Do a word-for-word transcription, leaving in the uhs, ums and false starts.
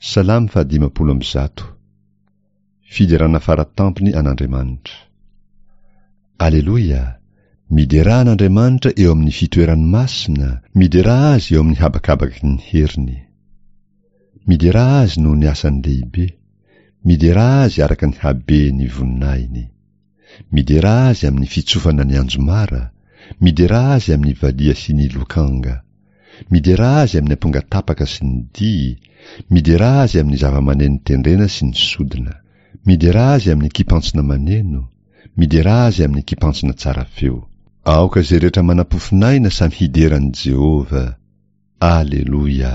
Salamo fahadimampolo amby zato. Fiderana faratampony an'Andriamanitra. Aleloia! Miderà an'Andriamanitra eo amin'ny fitoerany masina, miderà azy eo amin'ny habakabaky ny heriny. Miderà azy noho ny asany lehibe, miderà azy araka ny haben'ny voninahiny. Miderà azy amin'ny fitsofana ny anjomara, miderà azy amin'ny valiha sy ny lokanga. Miderà azy amin'ny ampongatapaka sy ny dihy, miderà azy amin'ny zava-maneno tendrena sy ny sodina. Miderà azy amin'ny kipantsona maneno, miderà azy amin'ny kipantsona tsara feo. Aoka izay rehetra manam-pofonaina samy hidera an'i Jehovah. Aleloia!